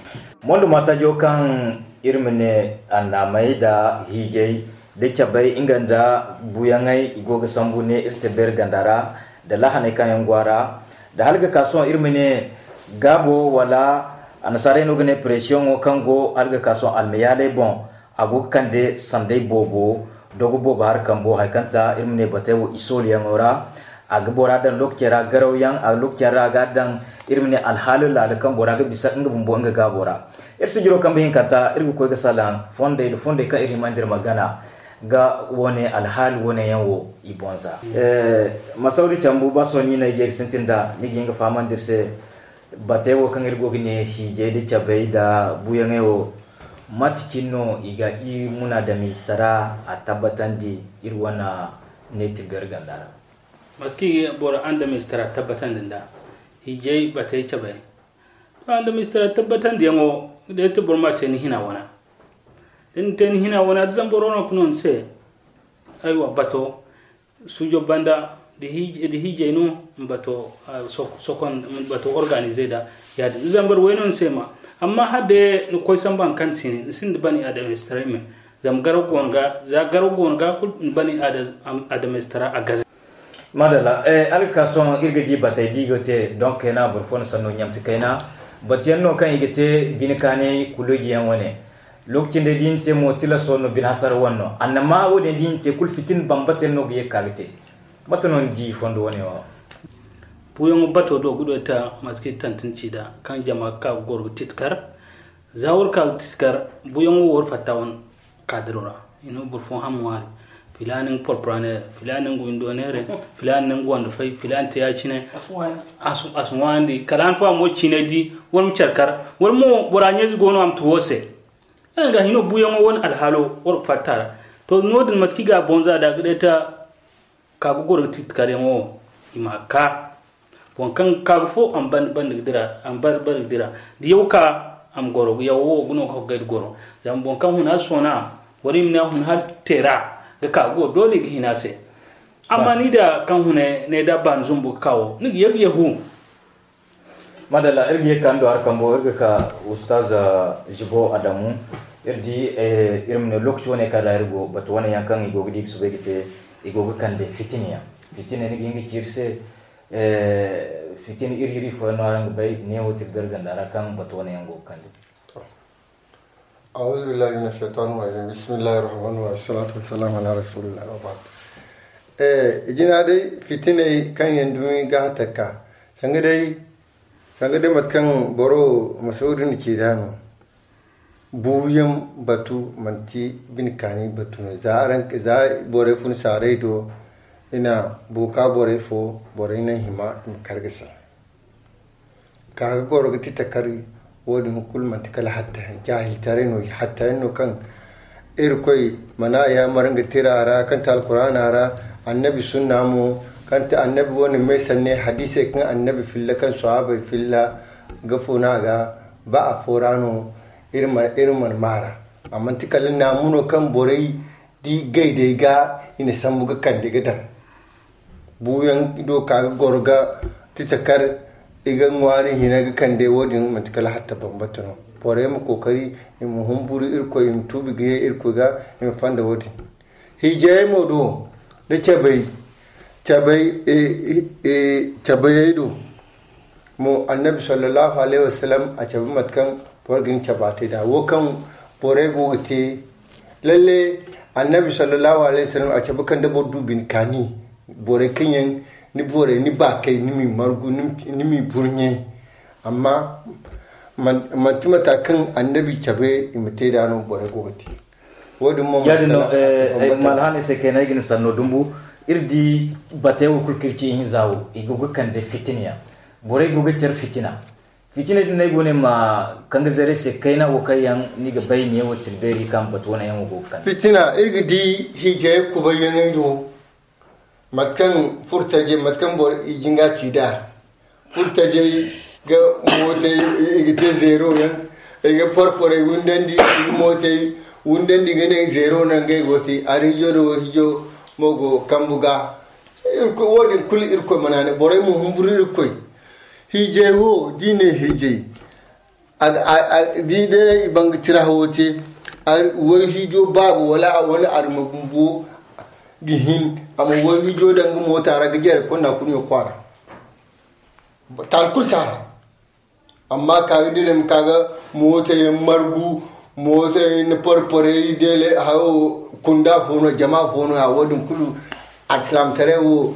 Mondo ma tajo kaŋ iri ma ne annaamey da hiijay da cabay, nga nda buuyaŋey, i go ga sambu ne iri te beeri ganda ra, da lahaney kaŋ yaŋ go a ra, da hala ga ka sohõ iri ma ne gaabo wala annasaarey no ga ne presiyoŋo kaŋ go hala ga ka sohõ almayaaley boŋ, a go ga kande sanday boobo, dogo boobo hari kambo, hari kaŋ ta iri ma ne batey wo i sooliyaŋo ra. A ga bora daŋ lookacey ra garawyaŋ, a lookacey ra a ga daŋ iri ma ne alhaalo laalo kaŋ bora ga bisa nga bumbo nga gaabo ra. Iri sijiro kambe hinkanta iri ga koy ga salaŋ fondey nda fondey kaŋ iri hima nda iri ma gana ga wane alhaali wane yaŋ wo i boŋ za. Eh, Masawdi Cambu, ba sohõ ni no ay ga ye ga sintin nd'a, ni ga hin ga fahamandi iri se batey wo kaŋ iri go ga ne hiijay nda cabay nda buuyaŋey wo, mate cine no i ga iri munaadamiizetaray a tabbatandi iri wane neetirbeeri ganda ra? Mate kaŋ i ga boro andamiizetaray tabbatandi nd'a, hiijay batey cabay. To, andamiizetaray tabbatandiyaŋo, day te boro ma te ni hina wana. Da ni te ni hina wana, da zama boro no ga no ni se, aywa, bato, sujo banda, da hiij-, da hiijay no, ma bato, ah, sok-, sokon, ma bato organize da, yaadin. Da zama boro way no ni se ma. Amma hala day ni koy samba haŋ kaŋ ni si ne, ni sinda bani andamiizetaray me. Zama garaw go no ga, za garaw go no ga, kulu bani ada-, am-, andamiizetaray a gaze. Madalla, eh, hala ga ka sohõ iri ga di batey da i go te, donc kayna boro fo na sanno ɲamti kayna. Batuyaŋ no kaŋ i ga te bine kaanay kuloojiyaŋ wane. Lookaci nda da i na te mo, tilaso no, bine hasara wane no. Annama wo-din da i na te kulu fitina bambata yaŋ no ga ye ga ka ga te. Mate no ni di fondo wane wo? Buuyaŋo bato do ga du ay ta mate kaŋ i tantin ci nd'a, kaŋ jama ga ka ga goro ga titikar. Za war ka ga titikar, buuyaŋo war fatta wane kaadiro ra. I na boro fo ham ŋwaari. Filaana nga porpora neera, filaana nga windo neera, filaana nga wando fay, filaana te ya-cine. A si ŋwaayandi. A si, a si ŋwaayandi. Kala han fo a mo ciinay di, war ma care kar. War mo, bora ɲayze go no a ma tu wo se. Yaŋ ga hino buuyaŋo wane alhaalo war fatta ra. To, no-din mate kaŋ i ga a boŋ za da ga day ta ka ga goro ga titikar yaŋo, i ma a ka. Boŋ kaŋ ga ka ga fo, a ma ban-, banda ga dira, a ma bar-, bari ga dira. Da yaw ka, A ma goro yawo wo ga no ga hoggay da goro. Zama boŋ kaŋ hun har sona, wala i ma ne a hun har tera ga ka go, doole i ga hina se. Amma ni da kaŋ hune ne da baani zumbu ga kawo ni ga yagu yagu. Madalla, iri ga ye ka ndo har kambo iri ga ka ustaz jibo adamu. Iri di iri ma ne lokaci wane ka da iri go batu wane yaŋ kaŋ i go ga di ga subay ga te, i go ga kande fitina yaŋ. Fitina ni ga hin ga ci iri se. Fitina iri iri fooyaŋ no araŋ ga bay ne wo tirgar ganda ra kaŋ batu wane yaŋ go ga kande. Auzu billahi min ashaitan rajim bismillahi rahman rahim salatu wassalamu ala rasulillah wa ba'd. Eh jina dai fitinai kan yan dumi ga takka. Sanga dai sanga dai matkan boro masaudu ni ci dano. Buyan batu manti bin kani batu no za ran za bore fun sarai do. Ina buka bore fo bore ina hima in kargasa. Ka ga goro ga ti takari. Wo-din kulu manti kala hatta jahiltaray no hatta yaŋ no kaŋ irkoy mana ya maranga tira ra kaŋ ti alkurana ra. Annabi sunna mo kaŋ ti annabi wane may sanne hadisey kaŋ annabi filla kaŋ sahabey filla ga funa ga ba a fo ra no. Iri mana mara. Amma ti kala namuno kaŋ borey di gaydey ga i na sambu ga kande ga daŋ. Buuyaŋ do ka ga goro ga ti takar i ga ŋwaari hina ga kande wo-din manti kala hatta bambata no. Borey ma kookari i ma humburu irkoy i ma tuubi ga ye irkoy ga. I ma fanda wo-din hiijayey mo do da cabay cabay cabayey do. Mo annabi sallallahu alaihi wasallam a cabe mate kaŋ boro ga ni caba te da wo kaŋ borey go ga te. Lalle annabi sallallahu alaihi wasallam a cabe kaŋ da boro du bine kaani borey kaŋ yaŋ ni borey ni baakay ni m'i margu ni m'i burɲe. Amma manti mata kaŋ annabi cabe i ma te da no borey go ga te. Wo-din mo manti kala ma alhaanay se kayna ay ga ni sanno dumbu. Iri di batey wo kulu kaŋ iri ci ihinza wo i go ga kande fitina yaŋ. Borey go ga care fitina. Fitina din no ay go ne ma kaŋ ga zaray se kayna wo kaŋ yaŋ ni ga bay ne wo tira beeri kaŋ batu wane yaŋ wo go ga kande fitina. Iri ga di hiijay kubayyaŋey do. Mate kaŋ furtajey mate kaŋ boro i jinga ci da furtajey ga mootey i ga te zeero yaŋ. I ga porporey wundandi i ga mootey wundandi ga ne zeero no ngey go te. Ariijo da wo hiijo mo go kambu ga. Wo-din kulu irkoy mana ne borey ma humburu irkoy. Hiijay wo da i ne hiijay di day i banga tira hawo te. Wai hiijo baaba wala a wane arma bumbo ga hin a ma wai hiijo daŋ ga moota ra ga jare konda kurɲo kwaara. Taali kulu si a ra. Amma ka ga dire ma ka ga moota yaŋ margu moota yaŋ na porporey deele hayo kunda fo no jama fo no ya wo-din kulu. Alsilaamataray wo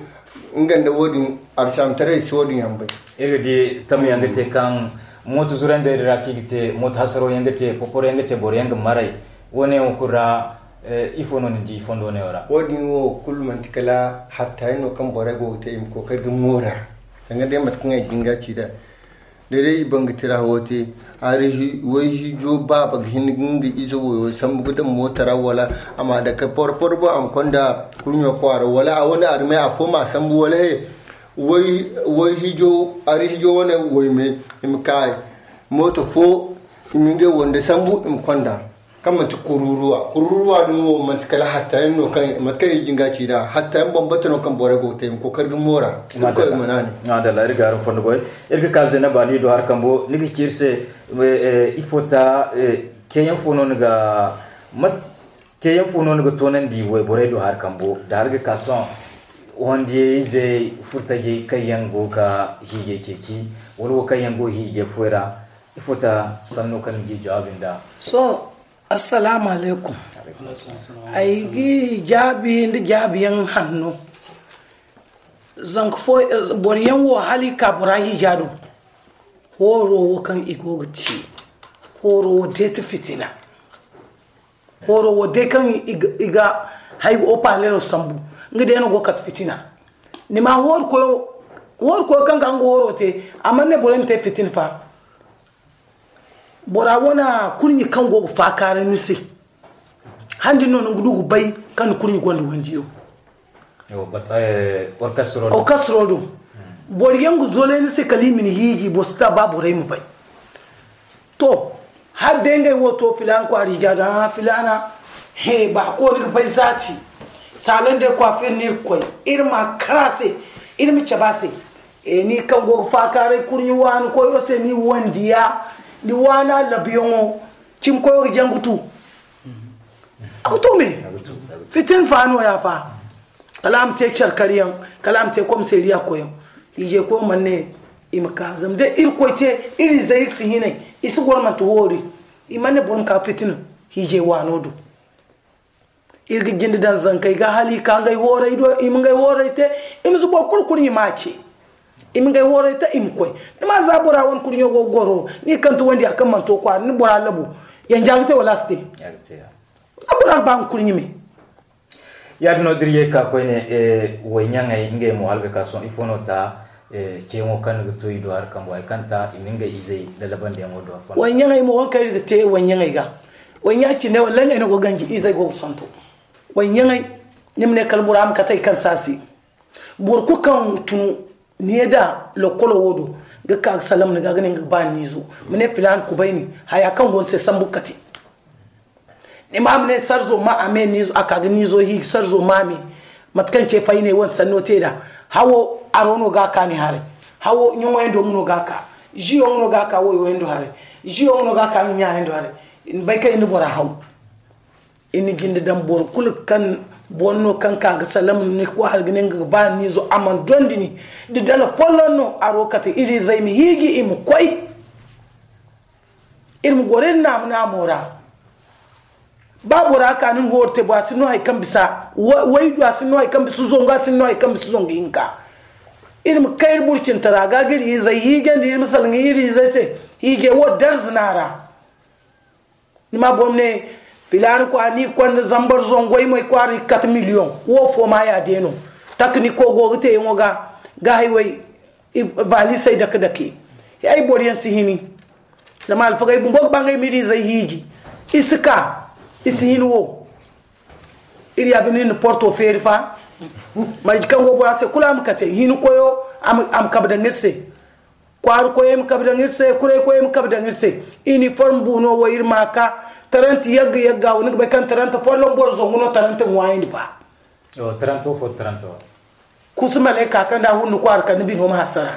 nga nda wo-din alsilaamataray si wo-din yaŋ bay. Iri ga di tamyaŋ ga te kaŋ mooto zurandey din ra kaŋ i ga te mooto hasaro yaŋ ga te poporo yaŋ ga te boro yaŋ ga maray. Wo-ne yaŋ wo kulu ra ifo no ni di fondo neewo ra? Wo-din wo kulu manti kala hatta yaŋ no kaŋ borey go ga te i ma kookari ga moora. Sanga day mate kaŋ ay jinga ci da da day i banga tira wo te. Wai hiijo baaba ga hin ga nga ize wayo sambu ga daŋ mooto ra wala a ma dake porpor boŋ a ma konda kurɲo kwaara wala a wane armay afo ma sambu wala he. Wai hiijo ari hiijo wane waymay i ma kaayi mooto fo i ma ngey wande sambu i ma konda. Kaŋ manti kururuwa kururuwa din wo manti kala hatta yaŋ no kaŋ mate kaŋ i jinga ci da hatta yaŋ bambata no kaŋ borey go ga te i ma kookari ga moora. Irkoy ma naani. Adalla iri ga araŋ fondo goy. Iri ga ka zena baani do har kambo ni ga ci iri se. Ifo ta teyaŋ fo no ni ga mate teyaŋ fo no ni ga toonandi wayborey do har kambo da har ga ka sohõ wandiyey izey furtajey kaŋ yaŋ go ga hiijay ceeci wala wo kaŋ yaŋ go hiijay foy ra. Ifo ta sanno kaŋ ni ga i jawaabi nd'a? Sohõ. Assalaamu alaykum. Ay ga i jaabi nda jaabiyaŋ hanno. Zanka fo boro yaŋ wo hala i ka bora hiija do. Hooro wo kaŋ i go ga te hooro wo day ti fitina. Hooro wo day kaŋ i ga hay opalero sambu nga day no go kate fitina. Ni ma hooro koyo kaŋ ga nga hooro te a mana ne borey ma te fitina fa. Bora wane kurɲi kaŋ go ga faakaaray ni se. Handi no ni ga du ga bay kaŋ ni kurɲi gonda wandiyo. Orkastro do boro yaŋ ga zolay ni se kala i ma ni hiiji boro si ta ba borey ma bay. To Hala day ngey wo to filaana kwaara i ga daŋ a filaana. He ba ko ni ga bay zaati. Saalon day kwaafir no iri ga koy, iri ma kar a se, iri ma cabe a se. E ni kaŋ go ga faakaaray kurɲi waani koyo se ni wandiya, ni waana labuyaŋo, cimi koyo ga jaŋ ga tu. A ga tu me. Fitin fa no ya fa. Kala a ma te care kar yaŋ, kala a ma te komiseeriya koyaŋ. Hiijay koyo mana ne i ma ka zama day iri koy te, iri izey iri si hinay. I si goro manti hoori. I mana ne boro ma ka fitina hiijay waano do. Iri ga jinde daŋ zankey ga hala i ka ngey hooray do, i ma ngey hooray te. I ma si boro kulu kurɲi ma a ce. I ma ngey hooray te i ma koy. Ni ma za bora wane kurɲo go ga goro ni kante wandi a kaŋ mana to kwaara ni bora labu. Yanja ga te wala a si te? Za bora ga ba nga kurɲi me. Yaadin no da iri ye ka koyne. Wayɲaŋey ngey mo hala ga ka sohõ ifo no ta? Ceeyaŋo kaŋ ni ga to i do hari kambo hari kaŋ ta i ma ngey izey lalabandiyaŋo do afo. Wayɲaŋey mo waŋ kaŋ iri ga te wayɲaŋey ga. Wayɲa cine wala ngey no go ganji izey go ga santo. Wayɲaŋey, ni ma ne kala bora ma kate hari kaŋ saasi. Boro kulu kaŋ tunu ne da lokolo wo do ga ka ga salam ni ga ga ne nga ga ba ni izo. Ma ne filaana kubay ni haya kaŋ go ni se sambu ga kate. Ni ma ma ne sarzo ma a me niizo a ka ga niizo hiiji sarzo ma me. Mate kaŋ ce fay ne wane sanno te da hawo aro no ga ka ni haray. Hawo ɲoŋo yaŋ do nga no ga ka. Ziyo nga no ga ka wayo yaŋ do haray. Ziyo nga no ga ka nga ɲa yaŋ do haray. Ni bay kaŋ iri na bora haw. Iri na jinde daŋ boro kulu kaŋ boro no kaŋ ka ga salam ni ko hari ga ne nga ga ba niizo a mana dondi ni. Da dala folloŋ no aro kate iri izey ma hiiji i ma koy. Iri ma goro iri naamu naamo ra. Ba bora ka nin hoori te bo a si no hari kaŋ bisa waydu a si no hari kaŋ bisa zongu a si no hari kaŋ bisa zongu hinka. Iri ma kay iri burcintara ga ga iri izey hiijandi iri ma salaŋ iri izey se. Hiijay wo darza no a ra. Ni ma boro ne filaana kwaara ni konda zambar zongoy mo i kwaara i ga kate miliyoŋ. Wo fo ma ya day no. Takaniko go ga te yaŋo ga ga hayway. Valisey dake dake ay boro yaŋ si hini. Zama alfagey bumbo ga ba ngey ma iri izey hiiji. I si ka i si hin wo. Iri ya bine iri na porto feeri fa. Marje kaŋ go bora se kulu a ma kate hini koyo a ma kabe daŋ iri se. Kwaari koyey ma kabe daŋ iri se kuray koyey ma kabe daŋ iri se. Iniform bu no wo iri ma ka. Taranta yagga yagga wo ni ga bay kaŋ taranta folloŋ boro zangu no taranta ŋwaayandi fa. Taranta wo fo taranta wo. Kusu malayka kaŋ da hundu kwaara kaŋ ni bino ma hasara.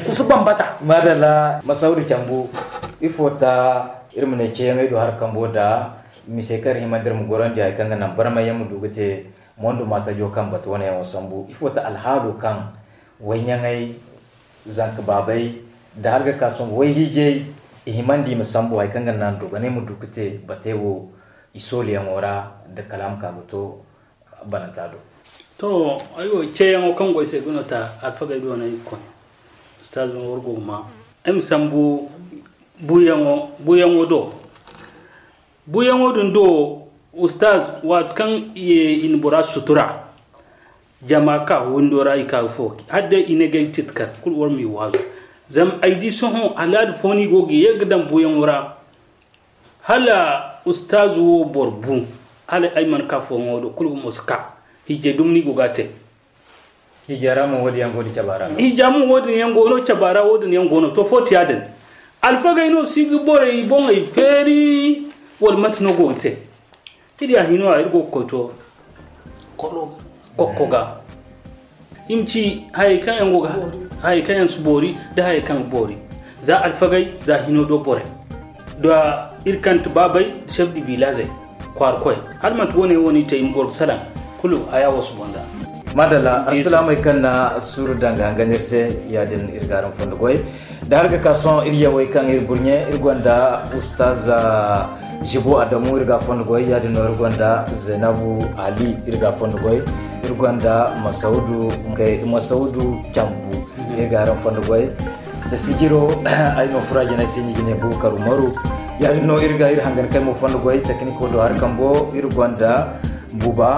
Kusu bambata. Madalla masawdu cambu. Ifo ta iri ma ne ceeyaŋey do hari kambo da mise kaŋ iri himandi iri ma gorandi hari kaŋ ga naŋ barmay yaŋ ma du ga te. Mondo ma tajo kaŋ batu wane yaŋo sambu ifo ta alhaalo kaŋ wayɲaŋey zanka baabay da hari ga ka sohõ wayhiijay i himandi i ma sambu hari kaŋ ga naŋ dogonay ma du ga te batey wo i sooliyaŋo ra da kala a ma ka ga to bananta do. To aywo ceeyaŋo kaŋ go ay se ga no ta alfagey do no ay ga koy. Ustaazo no war go ga ma ay ma sambu buuyaŋo buuyaŋo do. Buuyaŋo din do ustaaz waati kaŋ i na bora sutura. Jama ka windo ra i ka ga fo hala day i ne ga ay ga titi kar kulu war m'i waazu. Zama ay di sohõ alaada fo no i go ga ye ga daŋ buuyaŋo ra. Hala ustaazu wo boro bu hala ay mana ka fooyaŋo do kulu gumo si ka. Hiijay dumi no i go ga a te. Hiija ra mo wo- din yaŋ go no cabe ra. Hiija mo wo- din yaŋ go no cabe ra wo- din yaŋ go no to fo ti ya- din. Alfagey no si ga borey boŋey feeri wala mate no go ga te? Iri ya hino a iri go ga koy to kokko ga. I ma ci hayey kaŋ yaŋ go ga hayey kaŋ yaŋ si boori nda hayey kaŋ ga boori. Za alfagey za hino do borey da iri kante baabey da chef de villagey kwaara koy. Hala manti wo- ne wo- ne i te i ma goro ga salaŋ kulu haya wo si boŋ za. Madalla alsilaamey kaŋ na suuru daŋ ga hangan iri se ya- din iri ga araŋ fondo goy. Da hari ga ka sohõ iri yawey kaŋ iri burɲe iri gonda ustaz jibo adamu iri ga a fondo goy ya- din no iri gonda zainabu ali iri ga a fondo goy. Iri gonda masaudu masaudu cambu iri ga araŋ fondo goy. Da sijiro ay no fura jinay se ni ga ne bukar umaru. Ya- din no iri ga iri hangan kay mo fondo goy tekniko do hari kambo iri gonda buba.